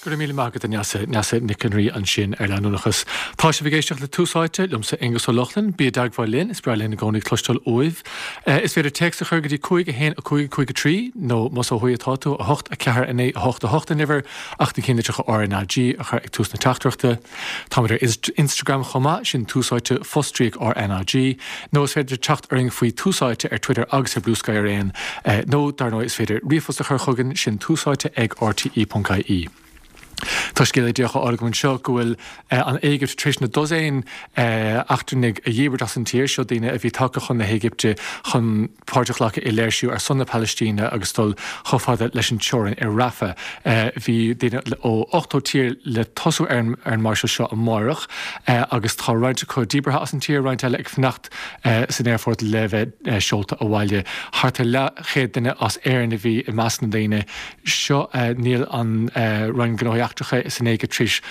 Go raibh míle maith agat a Neasa, Neasa Nic an Rí ansin ar leanúnachas. Tá sibh ag éisteacht le Tús Áite, liomsa Aengus Ó Lochlainn. Bí i dteagmháil linn, is breá linn i gcónaí cloisteáil uaibh. Is féidir téacs a chur go dtí 5 1 5 5 3 nó más ó thuaidh atá tú, 8 4 9 8 8 an uimhir, ach na cinnlitreacha RnaG a chur ag tús na teachtaireachta. Táimid ar Instagram chomh maith, sin Tús Áite fostríoc RnaG, nó is féidir teacht orainn faoi Tús Áite ar Twitter agus ar Bluesky araon, nó dar ndóigh is féidir ríomhphost a chur chugainn, sin túsáite ag rte.ie. Tá scéala díreach á fháil agam anseo go bhfuil an Éigipt tar éis na dosaen eachtrannaigh a dhíbirt as an tír, seo daoine a bhí tagtha chun na hÉigipte chun páirt a ghlacadh i léirsiú ar son na Palaistíne agus dul chomh fada leis an teorainn i Rafah. Bhí daoine ó 80 tír le tosú ar an máirseáil seo amáireach agus tá roinnt acu díbeartha as an tír, roinnt eile ag fanacht san aerfort le bheith seolta abhaile. Thart ar leathchéad duine as Éirinn a bhí i measc na ndaoine seo. Níl an Roinn Gnóthaí Eachtracha san Éigipt tar éis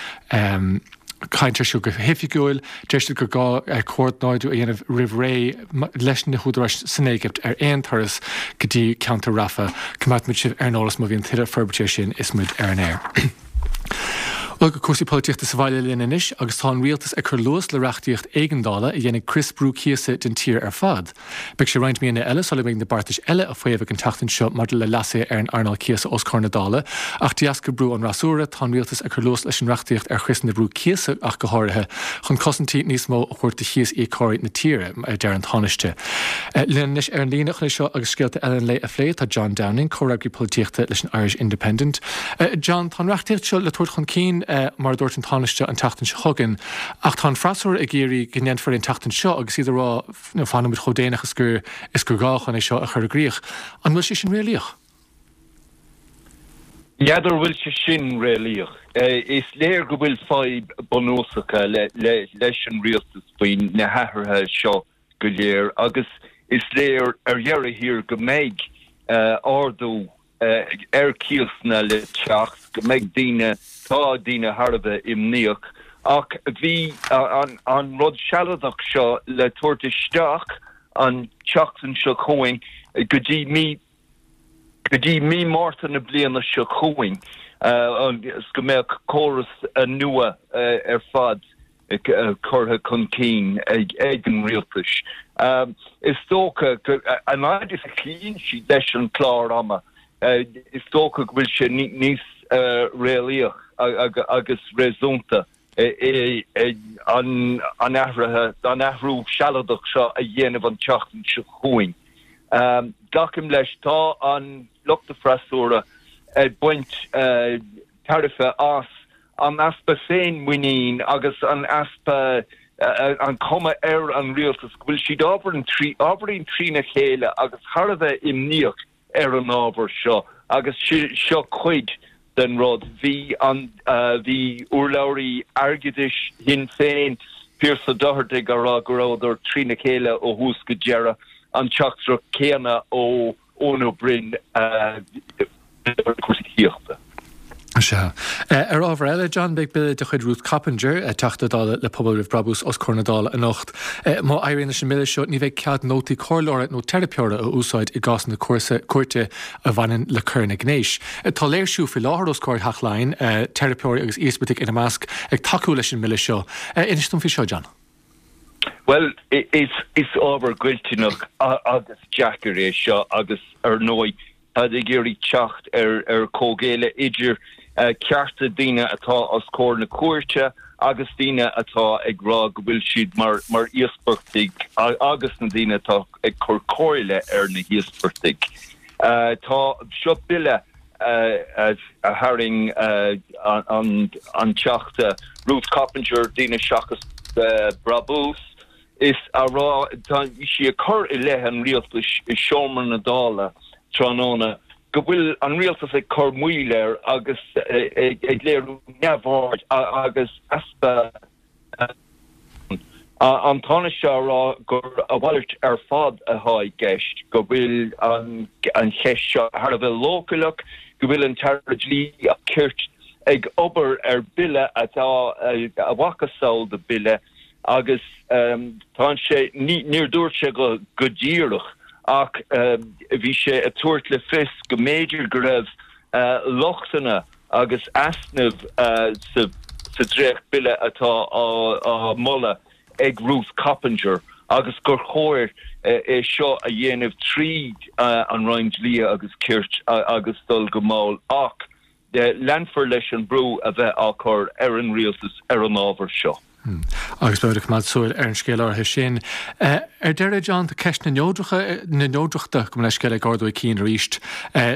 caint air seo go hoifigiúil. Deir siad gur gá comhordnáidiú a dhéanamh roimh ré leis na húdaráis san Éigipt ar aon turas go dtí ceantar Rafah. Coimeádfaimid sibh ar an eolas má bhíonn tuilleadh forbairtí air sin is muid ar an aer. Bhuel, go cúrsaí polaitíochta sa bhaile linn anois agus tá an rialtas ag cur luas le reachtaíocht éigeandála a dhéanfaidh crios brú cíosa den tír ar fad. Beidh sé roinnt míonna eile sula mbeidh na beartais eile a faomhadh an tseachtain seo maidir le leasuithe ar an earnáil cíosa os comhair na Dála, ach de dheasca brú an fhreasúra, tá an rialtas ag cur luas leis an reachtaíocht ar chriosanna brú cíosa ach go háirithe, chun cosaintí níos mó a thabhairt do chíos-íocóirí na tíre, a deir an Tánaiste. Linn anois ar an líne chun é seo agus scéalta eile an lae a phlé, tá John Downing, comhfhreagraí polaitíochta leis an Irish Independent. John, tá an reachtaíocht seo le tabhairt chun cinn, mar a dúirt an Tánaiste, an tseachtain seo chugainn, ach tá an freasúra ag iarraidh go ndéanfar é an tseachtain seo agus iad ag rá, nó fanfaidh muid chomh déanach is gur is gur gá chun é seo a chur i gcrích. An bhfuil sé sin réalaíoch? N'fheadar an bhfuil sé sin réalaíoch. Is léir go bhfuil fadhb bunúsacha leis an rialtas faoi na hathruithe seo go léir agus is léir ar dheireadh thiar go mbeidh ardú ar cíosanna le teacht, go mbeidh daoine, tá daoine thar a bheith imníoch, ach bhí an rud sealadach seo le tabhairt isteach an tseachtain seo chugainn go dtí mí, go dtí mí Márta na bliana seo chugainn, agus go mbeadh córas nua ar fad. curtha chun cinn ag an rialtas. Is dócha go, an fhaid is a chloíonn siad leis an chlár ama, is dócha go bhfuil sé níos réalaíoch agus réasúnta an athraithe, an athrú sealadach seo a dhéanamh an tseachtain seo chugainn. Glacaim leis, tá an lucht freasúra ag baint tairbhe as an easpa féinmhuinín agus an easpa, an chuma ar an rialtas go bhfuil siad ábhairín trína chéile agus thar a bheith imníoch ar an ábhar seo agus seo cuid den rud. Bhí an, bhí urlabhraí airgeadais Shinn Féin, Pearse Doherty, ag rá go rabhadar trína chéile ó thús go deireadh, an teachtaireacht chéanna ó Eoin Ó Broin cúrsaí tithíochta. Sea. Ar ábhar eile, John, beidh bille de chuid Ruth Coppinger, Teachta Dála le Pobal Roimh Brabús, os comhair na Dála anocht. Má éiríonn leis an mbille seo, ní bheidh cead nótaí comhairleora nó teiripeora a úsáid i gcásanna cúirte a bhaineann le coireanna gnéis. Tá léirsiú faoi láthair os comhair Theach Laighean, teiripeoirí agus íospartaigh ina measc, ag tacú leis an mbille seo. Inis dom faoi seo, John. Bhuel, is ábhar goilliúnach agus deacair é seo agus, ar ndóigh, táid ag iarraidh teacht ar chomhghéilleadh idir cearta daoine atá os comhair na cúirte agus daoine atá ag rá go bhfuil siad mar íospartaigh agus na daoine atá ag cur comhairle ar na híospartaigh. Tá seo bille a tharraing an Teachta Ruth Coppinger, Daoine Seachas Brabús, is a rá, tá sí ag cur i leith an rialtais i seomra na Dála tráthnóna go bhfuil an rialtas ag cur moill air agus ag léiriú neamhaird agus easpa An Tánaiste á rá gur a mhalairt ar fad atá i gceist, go bhfuil an cheist seo thar a bheith leochaileach, go bhfuil an tAire Dlí agus Cirt ag obair ar bhille atá a mhacasamhail de bhille agus tá sé, níor dúirt sé go díreach ach bhí sé ag tabhairt le fios go mb'fhéidir go raibh lochtanna. agus easnaimh sa dréacht-bhille atá á mholadh ag Ruth Coppinger agus gur chóir é seo a dhéanamh tríd an Roinn Dlí agus Cirt agus dul go mall ach leanfar leis an brú a bheith á chur ar an rialtas ar an ábhar seo. Agus beimid ag coimeád súil ar an scéal áirithe sin. Ar deireadh, John, tá ceist na neodracha, na neodrachta, gabh mo leithscéal, ag ardú a cinn arís.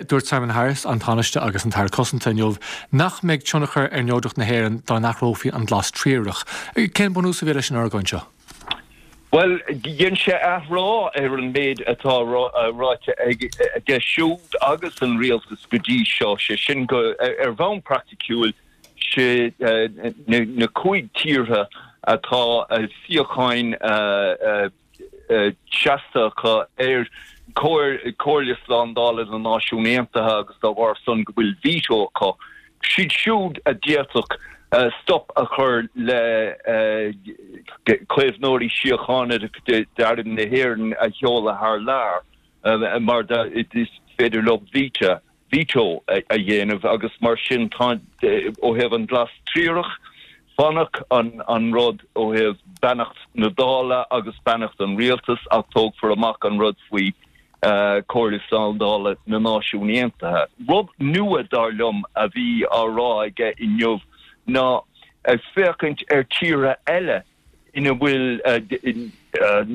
Dúirt Simon Harris, an Tánaiste agus an tAire Cosanta inniu nach mbeidh tionchar ar neodracht na hÉireann dá n-athrófaí an glas triarach. Cén bunús a bhí leis an argóint seo? Bhuel, dhein sé athrá ar an méid atá ráite aige siúd agus an rialtas go dtí seo, sé sin go, ar bhonn praiticiúil, sé na cúig tíortha atá suíocháin seasta acu ar Chomhairle Slándála na Náisiún Aontaithe agus dá bharr san go bhfuil veto acu, siad siúd a d'fhéadfadh stop a chur le caomhnóirí síochána d'arm na hÉireann a sheoladh thar lear mar is féidir leo veto veto a dhéanamh agus mar sin tá, ó thaobh an glas triarach, fanfaidh an rud ó thaobh beannacht na Dála agus beannacht an rialtais ach tógfar amach an rud faoi Comhairle Slándála na Náisiún Aontaithe. Rud nua, dar liom, a bhí á rá aige inniu ná ag féachaint ar tíortha eile ina bhfuil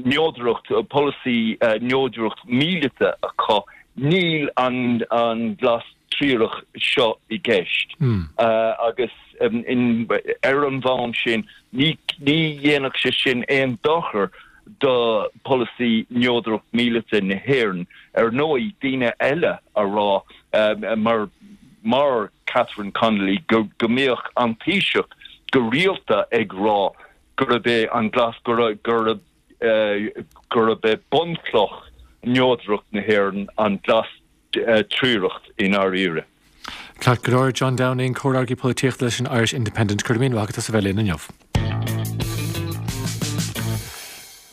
neodracht, polasaí neodracht míleata acu, níl an glas triarach seo i gceist agus ar an bhonn sin ní dhéanfadh sé sin aon dochar do pholasaí neodracht míleata na hÉireann. Ar ndóigh, daoine eile a rá mar mar Catherine Connolly go mbíodh an Taoiseach go rialta ag rá gurb é an glas gurb gurb é bunchloch neodracht na hÉireann an glas triarach i ndáiríre. Ceart go leor, John Downing, Comhfhreagraí Polaitíochta leis an Irish Independent, go raibh míle maith agat as a bheith linn inniu.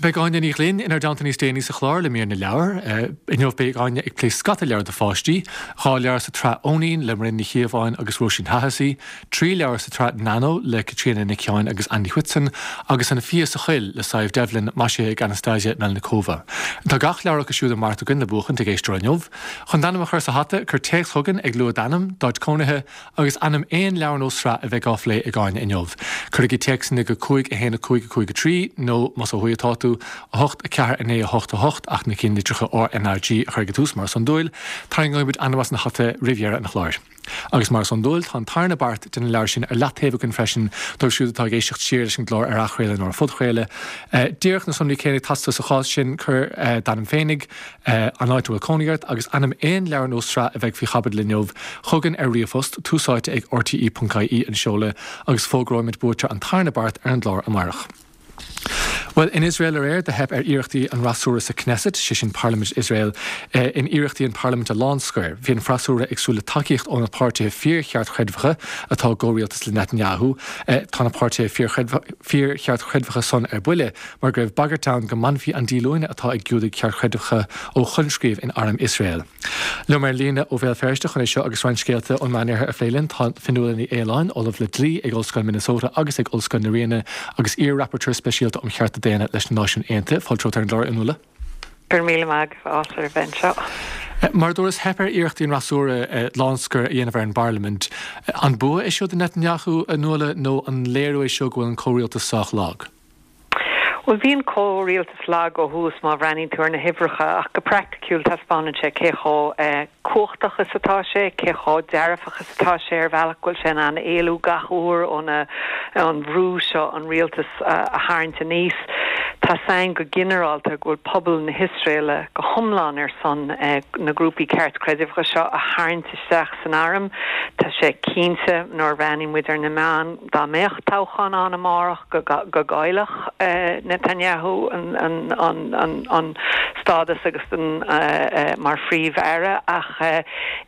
Beidh Áine Ní Ghlinn inár dteannta níos déanaí sa chlár le mír na leabhar. Inniu beidh Áine ag plé scata leabhar do pháistí, 2 leabhar sa tsraith Eoinín le Muireann Ní Chíobháin agus Róisín Hahessy, 3 leabhar sa tsraith Nano le Caitríona Nic Sheáin agus Andy Whitson, agus An Fia sa Choill le Sadhbh Devlin, maisithe ag Anastasia Melnikova. Tá gach leabhar acu siúd i mbeart againn le buachaint ag éisteoir inniu. Chun d'ainm a chur sa hata, cuir téacs chugainn ag lua d'ainm, d'áit cónaithe, Agus ainm aon leabhar nó sraith a bheidh á phlé ag Áine inniu. Cuirigí téacsanna go 5 1 5 5 3 nó, más ó thuaidh atá tú, 8 4 9 8 8 ach na cinnlitreacha RnaG a chur ag an tús mar is iondúil. Tarraingeoidh muid ainm as an hata roimh dheireadh an chláir. Agus mar is iondúil, tá an tarna beart de na leabhair sin ar leataobh againn freisin dóibh siúd atá ag éisteacht siar leis an gclár ar athchraoladh nó ar phodchraoladh. Díreach na sonraí céanna ag teastáil sa chás sin, cuir d'ainm féinig, an áit a bhfuil cónaí ort agus ainm aon leabhar nó sraith a bheidh faoi chaibidil inniu chugainn ar ríomhphost, túsáite ag rte.ie an seoladh agus fógróimid buaiteoir an tarna beart ar an gclár amárach. Bhuel, in Iosrael aréir do theip ar iarrachtaí an fhreasúra sa Knesset, sé sin parlaimint Iosrael, in iarrachtaí an parlaimint a lánscoir. Bhí an freasúra ag súil le tacaíocht ó na páirtithe fíor-cheartchreidmheacha atá i gcomhrialtas le Netanyahu. Tá na páirtithe fíor-cheartchreidmheacha san ar buile. mar go raibh bagairt ann go mbainfí an díolúine atá ag Giúdaigh cheartchreidmheacha ó choinscríobh in arm Iosrael. Liom ar líne ó Bhéal Feirste chun é seo agus roinnt scéalta ón Meánoirthear a phlé linn tá Fionnuala Ní Aoláin, Ollamh le Dlí ag Ollscoil Minnesota agus ag Ollscoil na Ríona agus iar-Rapporteur Speisialta um Chearta Daonna leis na Náisiúin Aontaithe. Fáilte romhat ar an gclár, a Fhionnuala. Go raibh míle maith agat, áthas orm a bheith anseo. Mar a dúras, theip ar iarrachtaí an fhreasúra lánscoir a dhéanamh ar an bparlaimint. An bua é seo do Netanyahu, a Fhionnuala, nó an léiriú é seo go bhfuil an comhrialtas sách lag? Bhuel, bhí an comhrialtas lag ó thús má bhreathnaíonn tú ar na huimhreacha, ach go praiticiúil taispeánann sé cé chomh cumhachtach is atá sé, cé chomh dearfach is atá sé ar bhealach go bhfuil sé in ann éalú gach uair ó na an bhrú seo an rialtas a tharraingt aníos. Tá 's againn go ginearálta go bhfuil pobal na hIosraeile go hiomlán ar son na grúpaí ceartchreidmheacha seo a tharraingt isteach san arm. Tá sé cinnte nuair a bhreathnaíonn muid ar na meáin, Dá mbeadh toghchán ann amárach go gcaillfeadh Netanyahu an stádas agus mar phríomh-aire ach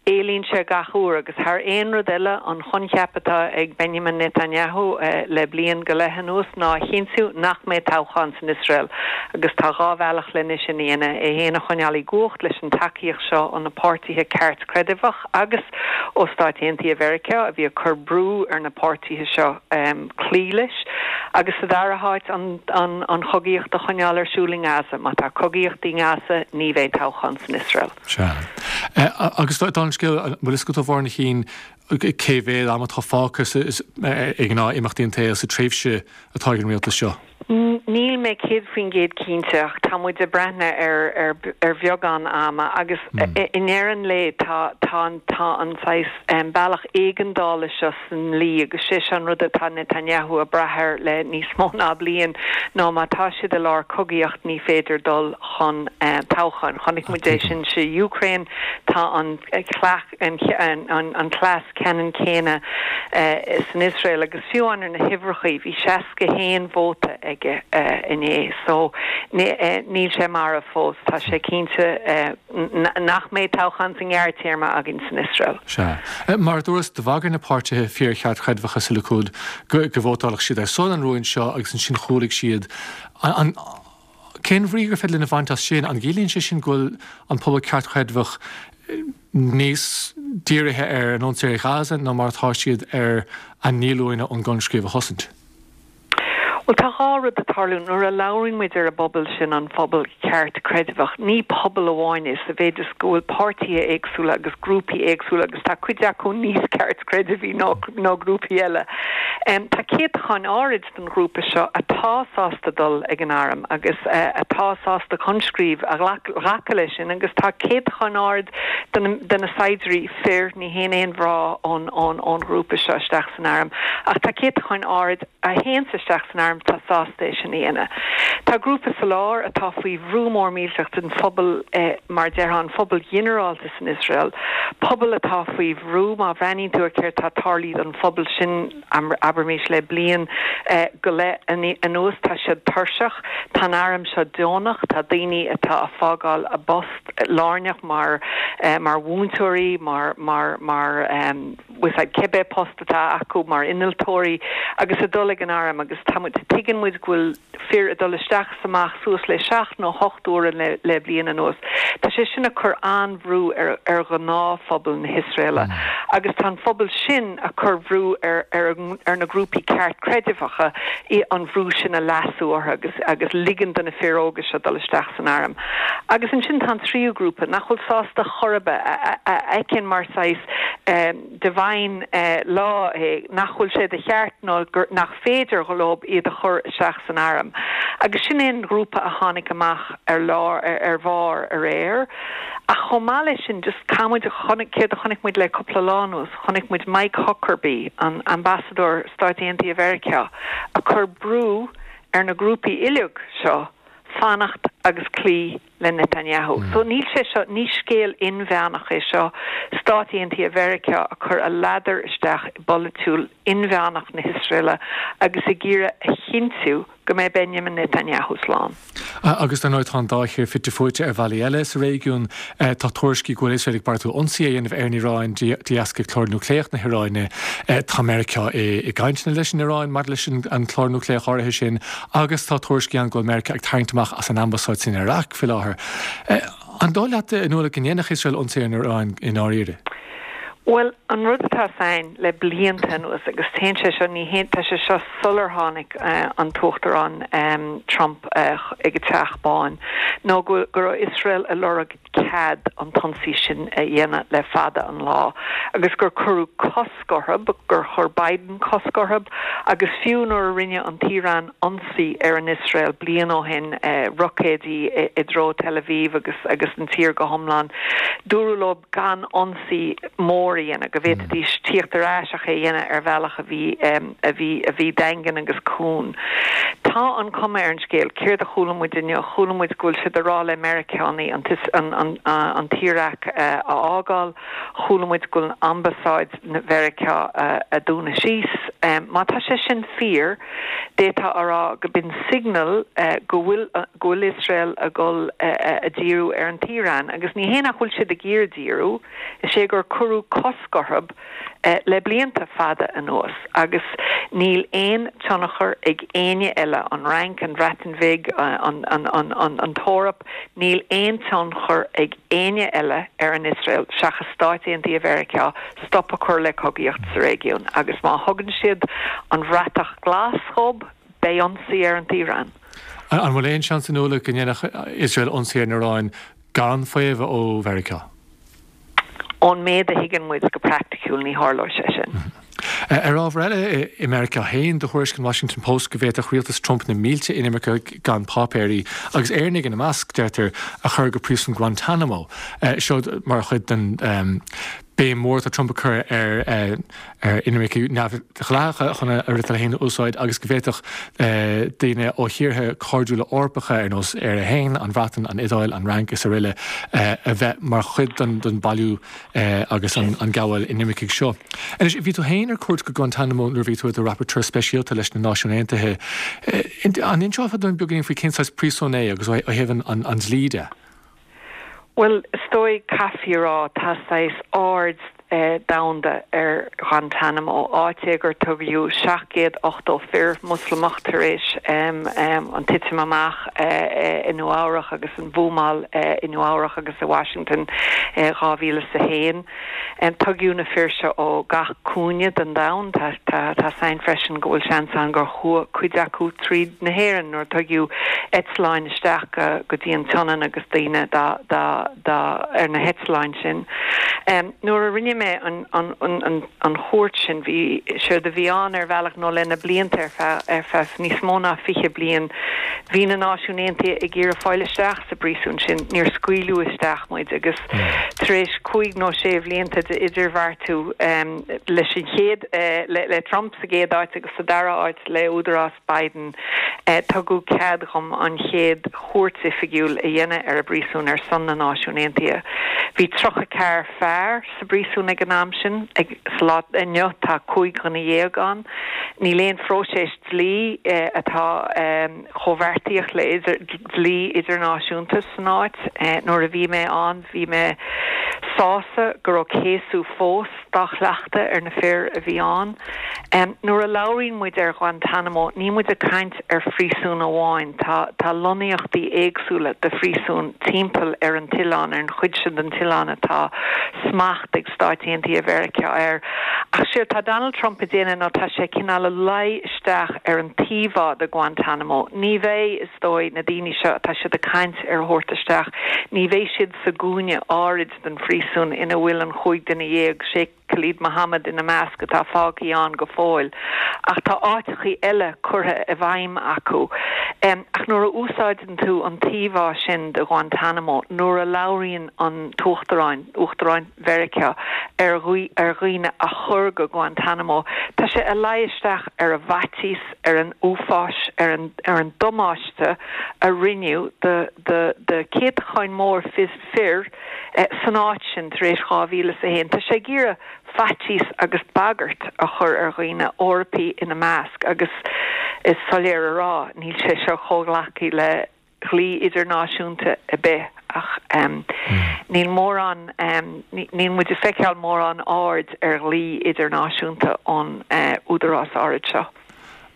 éalaíonn sé gach uair agus thar aon rud eile an choincheap atá ag Benjamin Netanyahu le bliain go leith anuas ná a chinntiú nach mbeidh toghchán san Iosrael. Iosrael agus tá 2 bhealach lena sin a dhéanamh, é fhéin a choinneáil i gcumhacht leis an tacaíocht seo ó na páirtithe ceartchreidmheach agus ó Stáit Aontaithe Mheiriceá a bhí ag cur brú ar na páirtithe seo cloí leis agus sa dara háit an an chogaíocht a choinneáil ar siúl i nGaza. Má tá cogaíocht i nGaza ní bheidh toghchán san Iosrael. Sea. Agus dála an scéil, an bhfuil fhios agat a Mháire Ní Chinn, cé mhéad am atá fágtha ag gnáth-imeachtaí an tsaoil sa tréimhse atá ag an rialtas seo? Níl mé 100% cinnte ach tá muid ag breathnú ar ar bheagán ama agus i ndeireadh an lae tá tá an tá an saghas bealach éigeandála seo sa ndlí agus sé seo an rud atá Netanyahu ag brath air le níos mó ná bliain ná má tá siad i lár cogaíocht ní féidir dul chun toghcháin. Chonaic muid é sin sa Ukraine, tá an an cleas ceannann céanna san Iosrael agus fiú amháin ar na huimhreachaí bhí 61 vóta aige inné so níl sé marbh fós. Tá sé cinnte nach mbeidh toghchán sa ngearrtéarma againn san Iosrael. Sea. Mar a dúras, do bhagair na páirtithe fíor-cheartchreidmheacha sa Likud go vótálfadh siad ar son an rúin seo agus ansin chúlaigh siad. An. Cén bhrí gur féidir linn a bhaint as sin? An gciallaíonn sé sin go bhfuil an pobal ceartchreidmheach níos dírithe ar an ionsaí ar Ghaza ná mar atá siad ar a ndíolúine ón gcoinscríobh a chosaint? Bhuel, tá 2 rud ag tarlú. Nuair a labhraíonn muid ar an bpobal sin, an phobal ceartchreidmheach, ní pobal amháin é sa mhéid is go bhfuil páirtithe éagsúla agus grúpaí éagsúla agus tá cuid acu níos ceartchreidmhí ná grúpaí eile. Tá céatacháin áirid den ghrúpa seo atá sásta dul ag an arm agus atá sásta coinscríobh a ghlacadh leis sin agus tá céatachán ard de na saighdiúirí fir, ní théann aon mhná ón ghrúpa seo isteach san arm, ach tá céatachán ard a théanns isteach san arm atá sásta é sin a dhéanamh. Tá grúpa sa lár atá faoi bhrú mór millteach den phobal, mar a déarfá, an phobal ghinearálta san Iosrael, pobal atá faoi bhrú, má bhreathnaíonn tú ar céard atá tarlaithe don phobal sin, abraimis le bliain go leith anuas, tá siad tuirseach, tá an arm seo deonach, tá daoine atá a fágáil a bpost lárnach mar mar mhúinteoirí, mar mar mar bhfuil fhios a'd cibé post atá acu, mar innealtóirí agus ag dul ag an arm agus tá muid, tuigeann muid go bhfuil fir ag dul isteach is amach suas le seacht nó hocht uaire le bliain anuas. Tá sé sin ag cur an-bhrú ar ar ghnáthphobal na hIosraela agus tá an phobal sin ag cur bhrú ar ar ar na grúpaí ceartchreidmheacha an bhrú sin a leasú orthu agus agus ligean do na fir óga seo dul isteach san arm. Agus ansin tá an tríú grúpa nach bhfuil sásta chor ar bith, a a fheiceann mar saghas divine law é nach bhfuil sé de cheart nó nach féidir leo iad a chur isteach san arm. Agus sin é an grúpa a tháinig amach ar lár, ar bharr aréir. Ach chomh maith leis sin, just caithfidh muid, chonaic, céard a chonaic muid le cúpla lá anuas, chonaic muid Mike Huckabee, an ambasadóir Stáit Aontaithe Mheiriceá, ag cur brú ar na grúpaí uilig seo fanacht agus cloí le Netanyahu. So níl sé seo, ní scéal inmheánach é seo, Stáit Aontaithe Mheiriceá ag cur a ladar isteach i bpolaitiúil inmheánach na hIosraela agus ag iarraidh a chinntiú go mbeidh Benjamin Netanyahu slán. Agus dar ndóigh tá an dá thír fite fuaite ar bhealaí eile sa réigiún. Tá tuairiscí go bhfuil Iosrael ag beartú ionsaí a dhéanamh ar an Iaráin de dheasca clár núicléach na hIaráine. Tá Meiriceá i gcainteanna leis an Iaráin maidir leis an clár núicléach áirithe sin. Agus tá tuairiscí ann go bhfuil Meiriceá ag tarraingt amach as an ambasáid san Iaráic faoi láthair. An dóigh leat, a Nuala, go ndéanfadh Iosrael ionsaí ar an Iaráin i ndáiríre? Bhuel, an rud atá againn le blianta anuas, agus téann sé seo, ní théann, tá sé seo sular tháinig an tUachtarán Trump ag an Teach Bán, ná go go raibh Iosrael ag lorg cead an t-ionsaí sin a dhéanamh le fada an lá agus gur cuireadh cosc orthu, gur chuir Biden cosc orthu agus fiú nuair a rinne an tIaráin ionsaí ar an Iosrael bliain ó shin, roicéidí i dtreo Tel Aviv agus agus an tír go hiomlán, dúradh leo gan ionsaí mór a dhéanamh, go bhféadfaidís tíocht ar ais ach é a dhéanamh ar bhealach a bhí a bhí a bhí daingean agus cúng. Tá an cuma ar an scéal, céard a chuala muid inniu? Chuala muid go bhfuil siad ag rá le Meiriceánaigh an an an tIaráic a fhágáil, chuala muid go bhfuil ambasáid Mheiriceá a dúnadh síos. Má tá sé sin fíor, d'fhéadfá a rá go b'in signal go bhfuil go bhfuil Iosrael ag dul a díriú ar an tIaráin. Agus ní hé nach bhfuil siad ag iarraidh díriú, is é gur cuireadh cosc orthu le blianta fada anuas agus níl aon tionchar ag éinne eile, an Fhrainc, an Bhreatain Bhig, an tEoraip, níl aon tionchar ag éinne eile ar an Iosrael seachas Stáit Aontaithe Mheiriceá stop a chur le cogaíocht sa réigiún agus má thugann siad an bhratach glas dhób, beidh ionsaí ar an tIaráin. An bhfuil aon seans, a Nuala, go ndéanfadh Iosrael ionsaí ar an Iaráin gan faomhadh ó Mheiriceá? Ón méid a thuigeann muid, go praiticiúil, ní tharlóidh sé sin. Ar ábhar eile, i Meiriceá féin, do thuairisc an Washington Post go bhféadfadh rialtas Trump na mílte inimirceach gan páipéirí, agus Éireannaigh ina measc, deirtear, a chur go príosún Guantanamo. Seo mar chuid den béim mhór atá Trump ag cur ar inimircigh neamhdhleathacha chun a fhriotal féin a úsáid agus go bhféadfadh daoine ó thíortha cairdiúla Eorpacha ar nós Éire féin, an Bhreatain, an Iodáil, an Fhrainc is aroile a bheith mar chuid den bailiú agus an gabháil inimircigh seo. Anois, bhí tú féin ar cuairt go Guantanamo nuair a bhí tú i do rapporteur speisialta leis na Náisiúin Aontaithe. An inseofá dúinn beagáinín faoi cén saghas príosún é agus ó thaobh an dlí de? Bhuel, is dóigh, caithfí a rá, tá saghas aird domhanda ar Ghuantanamo, áit é gur tugadh 780 fir Moslamach tar éis an titim amach i Nua Eabhrach agus an bhuamáil i Nua Eabhrach agus i Washington i 2001. Tugadh na fir seo ó gach cúinne den domhan. Tá 's againn freisin go bhfuil seans ann gur chuaigh cuid acu tríd na hÉireann nuair a tugadh eitleáin isteach go dtí an tSionainn agus daoine dá dá ar na heitleáin sin. Nuair a rinne mé an an chuairt sin bhí séard a bhí ann ar bhealach nó le na blianta ar feadh ar feadh níos mó ná 20 bliain bhí na Náisiúin Aontaithe ag iarraidh fáil isteach sa bpríosún sin. Níor scaoileadh isteach muid agus tar éis cúig nó sé bhlianta de idirbheartú leis an chéad, le Trump sa gcéad áit agus sa dara háit le údarás Biden, tugadh cead dhom an chéad chuairt oifigiúil a dhéanamh ar an bpríosún ar son na Náisiún Aontaithe. Bhí 34 fear sa bpríosún ag an am sin. Sa lá inniu tá 15 dhuine ann. Níl aon phróiseas dlí atá. chomh beartaíoch le dlí idirnáisiúnta san áit. Nuair a bhí mé ann bhí mé sásta go raibh céasadh fós dá chleachtadh ar na fir a bhí ann. Nuair a labhraíonn muid ar Ghuantanamo níl muid ag caint ar phríosún amháin, tá tá lonnaíochtaí éagsúla de phríosúin timpeall ar an t-oileán, ar an chuid sin den t-oileán atá smacht ag Stáit Aontaithe Mheiriceá air. Ach séard tá Donald Trump ag déanamh ná tá sé cineál ag luí isteach ar an t-íomhá de Guantanamo. Ní bheidh, is dóigh, na daoine seo atá siad ag caint ar a thabhairt isteach, ní bheidh siad sa gcúinne áirid den phríosún ina bhfuil an chúig duine dhéag, Sheikh Khalid Mohammed ina measc, atá fágthaí ann go fóill. Ach tá áiteachaí eile curtha i bhfeidhm acu. Ach nuair a úsáideann tú an t-íomhá sin de Guantanamo, nuair a labhraíonn an tUachtaráin, Uachtaráin Mheiriceá, ar ar dhaoine a chur go Guantanamo, tá sé ag luí isteach ar an bhfaitíos, ar an uafáis, ar an ar an damáiste a rinneadh do do do céatacháin mór fir san áit sin tar éis 2001. Tá sé ag iarraidh faitíos agus bagairt a chur ar dhaoine, Eorpaigh ina measc, agus is soiléir a rá, níl sé seo comhghlactha le dhlí idirnáisiúnta ar bith ach níl mórán, níl muid ag feiceáil mórán aird ar dhlí idirnáisiúnta ón údarás áirid seo.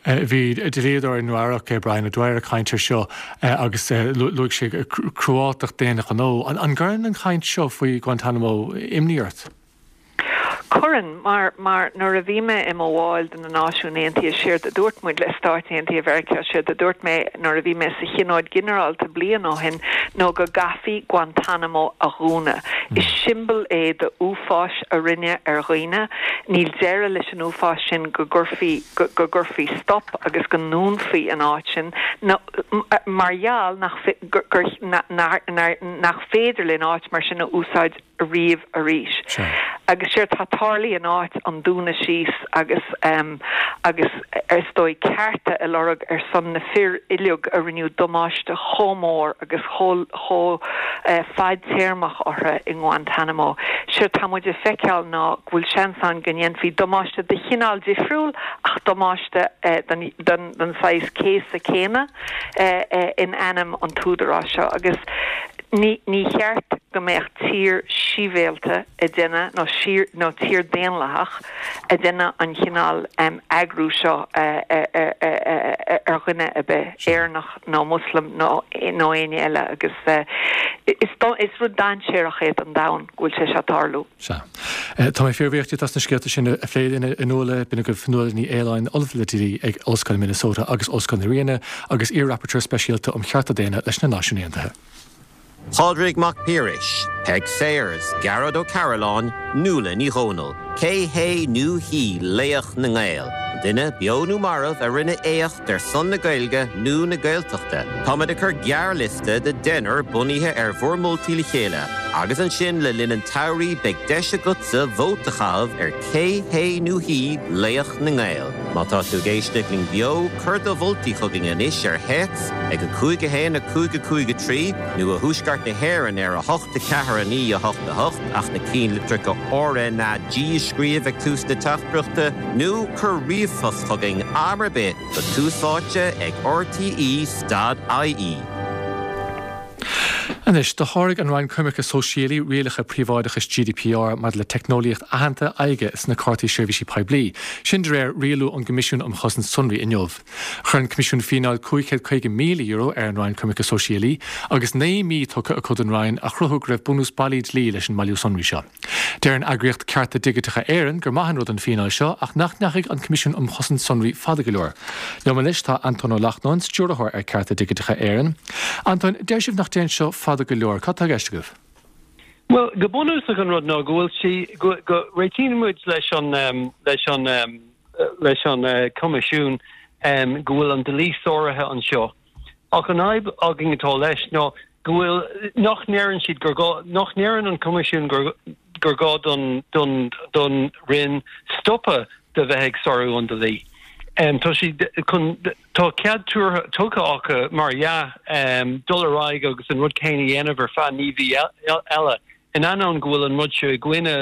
Bhí dlíodóir i Nua Eabhrac, Brian O'Dwyer, ag caint ar seo agus luaigh sé cruáltacht d'aon ghnó. An gcuireann an chaint seo faoi Guantanamo imní ort? Cuireann, mar, mar nuair a bhí mé i mo bhall de na Náisiúin Aontaithe, séard a dúirt muid le Stáit Aontaithe Mheiriceá, séard a dúirt mé nuair a bhí mé sa Thionóid Ghinearálta bliain ó shin, nó go gcaithfí Guantanamo a dhúnadh. Is siombail é de uafáis a rinneadh ar dhaoine. Níl deireadh leis an uafás sin go gcuirfí, go, go gcuirfí stop agus go ndúnfaí an áit sin, nó, mar gheall nach, gur, gur, nach féidir linn áit mar sin a úsáid. riamh arís. Agus séard tá tarlaithe in áit an dúnadh síos agus agus is dóigh cearta a lorg ar son na fir uilig a rinneadh damáiste chomh mór agus chomh chomh fadtéarmach orthu i nGuantanamo. Séard tá muid ag feiceáil ná go bhfuil seans ann go ndéanfaí damáiste de chineál difriúil ach damáiste den den saghas céasadh céanna in ainm an t-údarás seo agus ní ní cheart go mbeadh tír sibhialta ag déanamh nó nó tír daonlathach ag déanamh an chineál eagrú seo ar dhuine ar bith, Éireannach nó Muslim nó nó éinne eile agus is is rud dainséarach é don domhan go bhfuil sé seo ag tarlú. Sea. Tá mé fíorbhuíoch díot as na scéalta sin a phlé linn, a Nuala. B'in agaibh Nuala Ní Aoláin, Ollamh le Dlí ag Ollscoil Minnesota agus Ollscoil na Ríona agus iar-Rapporteur Speisialta um Chearta Daonna leis na Náisiúin Aontaithe. Pádraig Mac Piarais, Peig Sayers, Gearóid Ó Cairealláin, Nuala Ní Dhomhnaill, Cé hé nó hí laoch na nGael? An duine, beo nó marbh, a rinne éacht ar son na Gaeilge nó na Gaeltachta? Táimid ag cur gearrliosta de deichniúr bunaithe ar bhur moltaí le chéile. Agus ansin le linn an tsamhraidh beidh deis agatsa vóta a chaitheamh ar cé hé nó hí laoch na nGael. Má tá tú ag éisteacht linn beo, cuir do mholtaí chugainn anois ar théacs ag 5 1 5 5 3 nó i dTuaisceart na hÉireann ar 8 4 9 8 8 ach na ceannlitreacha RnaG a scríobh ag tús na teachtaireachta nó cuir ríomhphost chugainn am ar bith go Tús Áite ag rte stad ie. Anois, do sháraigh an Roinn Coimirce Sóisialaí rialacha príobháideachais GDPR maidir le teicneolaíocht aitheanta aghaidhe sna cártaí seirbhísí poiblí, sin de réir rialú ón gCoimisiún um Chosaint Sonraí inniu. Chuir an Coimisiún fíneáil €550,000 ar an Roinn Coimirce Sóisialaí agus 9 mí tugtha acu don Roinn a chruthú go raibh bunús bailí dlí leis an mbailiú sonraí seo. Deir an eagraíocht Cearta Digiteacha Éireann gur maith an rud an fíneáil seo ach nach ndeachaigh an Coimisiún um Chosaint Sonraí fada go leor. Liom anois tá Antóin Ó Lachtnáin, Stiúrthóir ar Cearta Digiteacha Éireann. Antóin, deir sibh nach dtéann seo fada go leor. Cad tá i gceist agaibh? Bhuel, go bunúsach an rud ná go bhfuil sí, go, go réitíonn muid leis an, leis an, leis an Coimisiún go bhfuil an dlí sáraithe anseo. Ach an fhadhb againn atá leis ná go bhfuil, nach ndeireann siad gur gá, nach ndeireann an Coimisiún gur, gur gá don, don, don Roinn stopadh de bheith ag sárú an dlí. Tá siad chun, tá cead tabhartha, tugtha acu, mar dhea, dul ar aghaidh agus an rud céanna a dhéanamh ar feadh 9 mhí eile, in ainneoin go bhfuil an rud seo i gcoinne,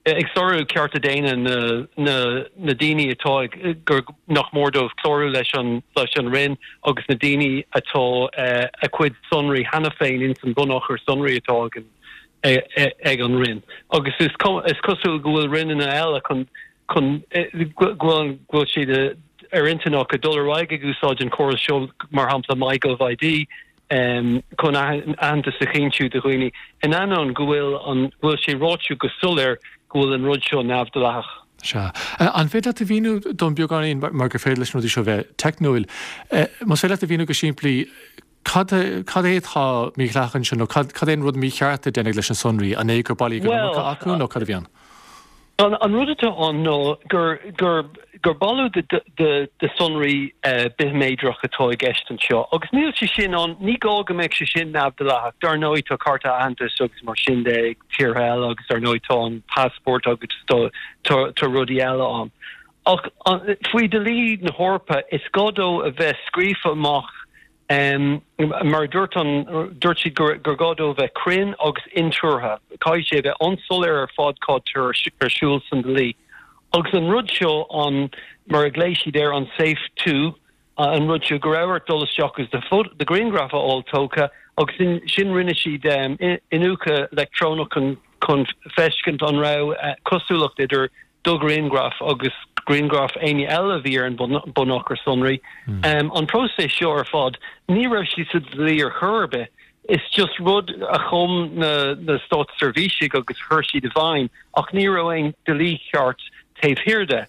ag sárú cearta daonna na na daoine atá ag gur nach mór dóibh clárú leis an leis an Roinn agus na daoine atá a cuid sonraí cheana féin ins an bhunachar sonraí atá ag an ag an Roinn. Agus is is cosúil go bhfuil Roinneanna eile chun chun go bhfuil go bhfuil siad ar intinn acu dul ar aghaidh ag úsáid an córas seo mar shampla MyGovID chun aitheantas a chinntiú do dhaoine, in ainneoin go bhfuil an, go bhfuil sé ráite go soiléir go bhfuil an rud seo neamhdhleathach. Sea. An féidir leat a mhíniú dom beagáinín, mar gur féidir leis na rudaí seo bheith teicniúil, más féidir leat a mhíniú go simplí, cad, cad é atá mídhleathach anseo nó cad, cad é an rud mícheart a deineadh leis na sonraí? An é gur bailíodh an iomarca acu nó cad a bhí ann? An rud atá ann ná gur gur gur bailiú de de sonraí bithméadrach atá i gceist anseo agus níl sé sin ann, ní gá go mbeadh sé sin neamhdhleathach. Dar ndóigh tá cárta aitheantais agus mar sin de ag tíortha eile agus dar ndóigh tá an passport agus tá tá rudaí eile ann. Ach faoi dhlí na hEorpa is gá dó a bheith scríofa amach Mar a dúirt an, dúirt siad gur gur gá dó a bheith cruinn agus intuartha. Caithfidh sé a bheith an-soiléir ar fad cad tá ar siúl san dlí. Agus an rud seo, an, mar a ghlaoigh siad air, an SAFE 2, an rud seo go raibh ort dul isteach agus do do ghrianghraf a fháil tógtha agus ansin rinne siad iniúchadh leictreonach chun chun feiscint an raibh cosúlacht idir do ghrianghraf agus grianghraf éinne eile a bhí ar an mbunachar sonraí. An próiseas seo ar fad, ní raibh sé sa dlí ar chor ar bith. Is just rud a chum na na státseirbhísigh agus chuir siad i bhfeidhm ach ní raibh aon dlí ceart taobh thiar de.